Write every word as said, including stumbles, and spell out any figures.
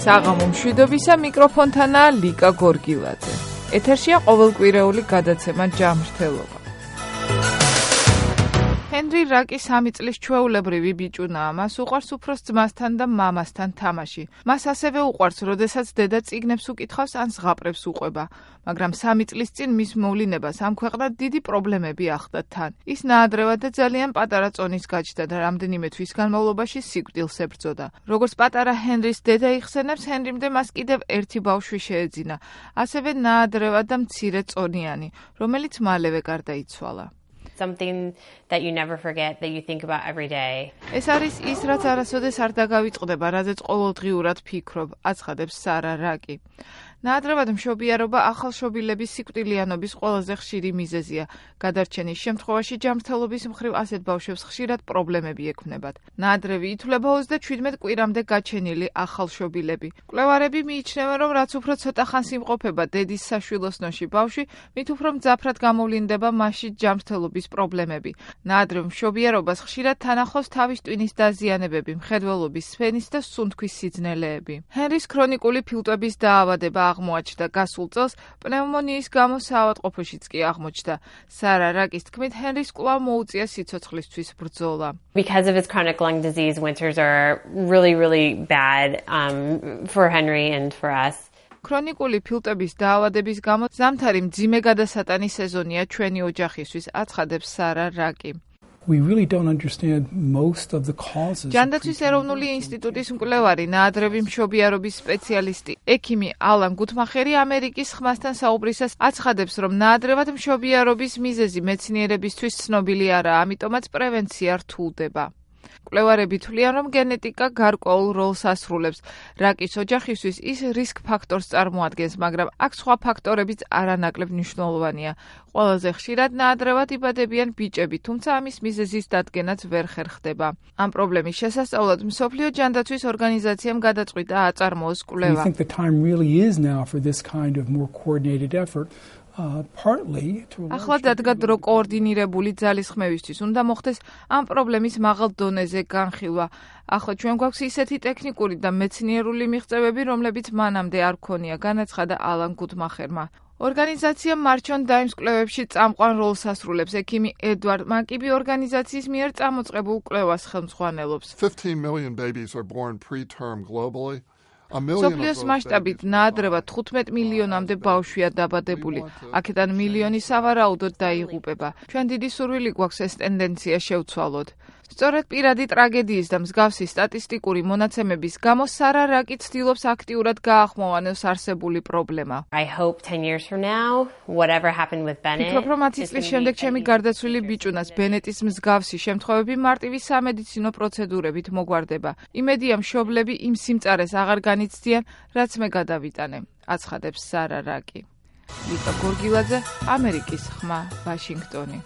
საღამო მშვიდობისა მიკროფონთანაა ლიკა გორგილაძე. ეთერშია ყოველკვირეული გადაცემა ჯანმრთელობა. ჰენრი რაკი სამი წლის ჩვეულებრივი ბიჭუნაა. მას უყვარს უფროს ძმასთან და მამასთან თამაში. მას ასევე უყვარს, როდესაც დედა წიგნებს უკითხავს ან ზღაპრებს უყვება. მაგრამ სამი წლის წინ მის მოვლინებას ამ ქვეყნად დიდი პრობლემები ახლდა თან. ის ნაადრევად და ძალიან პატარა წონის გაჩნდა და რამდენიმე თვის განმავლობაში სიკვდილს ებრძოდა. როგორც პატარა ჰენრის დედა იხსენებს, ჰენრიმდე მას კიდევ ერთი ბავშვი შეეძინა, ასევე ნაადრევად და მცირე წონიანი, რომელიც მალევე გარდაიცვალა. Something that you never forget, that you think about every day. ეს არის ის, რაც არასოდეს არ დაგავიწყდება, რაზეც ყოველდღიურად ფიქრობ, აცხადებს სარა რაკი. ნაადრევად მშობიარობა ახალშობილების სიკვდილიანობის ყველაზე ხშირი მიზეზია. გადარჩენის შემთხვევაში ჯანმრთელობის მხრივ ასეთ ბავშვებს ხშირად პრობლემები ექმნებათ. ნაადრევი ითვლება ოცდაშვიდ კვირამდე გაჩენილი ახალშობილები. მკვლევარები მიიჩნევენ, რომ რაც უფრო ცოტა ხანს იმყოფება დედის საშვილოსნოში ბავშვი, მით უფრო მძაფრად გამოვლინდება მასში ჯანმრთელობის პრობლემები. ნაადრევ მშობიარობას ხშირად თან ახლავს თავის ტვინის დაზიანებები, მხედველობის სფენის და სუნთქვის სიძნელეები. ჰენრის ქრონიკული ფილტვების დაავადება აღმოაჩნდა გასულ წელს, პნევმონიის გამო საავადმყოფოშიც კი აღმოჩნდა. სარა რაკის თქმით, ჰენრის კვლავ მოუწია სიცოცხლისთვის ბრძოლა. Because of his chronic lung disease, winters are really, really bad um, for Henry and for us. ქრონიკული ფილტვების დაავადების გამო ზამთარი მძიმე გადასატანის სეზონია ჩვენი ოჯახისთვის, აცხადებს სარა რაკი. We really don't understand most of the causes. ჯანდაცვის ეროვნული ინსტიტუტის მკვლევარი, ნაადრევი მშობიარობის სპეციალისტი, ექიმი ალან გუთმახერი ამერიკის ხმასთან საუბრისას აცხადებს, რომ ნაადრევად მშობიარობის მიზეზი მეცნიერებისთვის ცნობილი არაა, ამიტომაც პრევენცია რთულდება. მკვლევარები თვლიან, რომ გენეტიკა გარკვეულ როლს ასრულებს. რაკის ოჯახისთვის ის რისკ ფაქტორს წარმოადგენს, მაგრამ აქ სხვა ფაქტორებიც არანაკლებ მნიშვნელოვანია. ყველაზე ხშირად ნაადრევად იბადებიან ბიჭები, თუმცა ამის მიზეზის დადგენაც ვერ ხერხდება. ამ პრობლემის შესასწავლად მსოფლიო ჯანდაცვის ორგანიზაციამ გადაწყვიტა აწარმოოს კვლევა. We think the time really is now for this kind of more coordinated effort. Uh, partly to ახლა დადგა დრო კოორდინირებული ძალისხმევისთვის, უნდა მოხდეს ამ პრობლემის მაღალ დონეზე განხილვა. ახლა ჩვენ გვაქვს ისეთი ტექნიკური და მეცნიერული მიღწევები, რომლებიც მანამდე არ ქონია, განაცხადა ალან გუთმახერმა. ორგანიზაცია მარჩონ დაიმს კვლევებში წამყვან როლს ასრულებს. ექიმი ედვარდ მაკიბი ორგანიზაციის მიერ წამოწყებულ კვლევას ხელმძღვანელობს. fifteen million babies are born preterm globally. სოფლიოს მასშტაბით ნაადრევად თხუთმეტ მილიონამდე ბავშვია დაბადებული. აქედან მილიონი სავარაუდოდ დაიღუპება. ჩვენ დიდი სურვილი გვაქვს ეს ტენდენცია შევცვალოთ. სწორედ პირადი ტრაგედიის და მსგავსი სტატისტიკური მონაცემების გამო სარა რაკი ცდილობს აქტიურად გაახმოვანოს არსებული პრობლემა. I hope ten years from now, whatever happened with Bennett. ფიქრობ, რომ ათი წლის შემდეგ ჩემი გარდაცვლილი ბიჭუნას ბენეტის მსგავსი შემთხვევები მარტივი სამედიცინო პროცედურებით მოგვარდება. იმედია მშობლები იმ სიმწარეს აღარ განიცდიან, რაც მე გადავიტანე, აცხადებს სარა რაკი. ლიკა გორგილაძე, ამერიკის ხმა, ვაშინგტონი.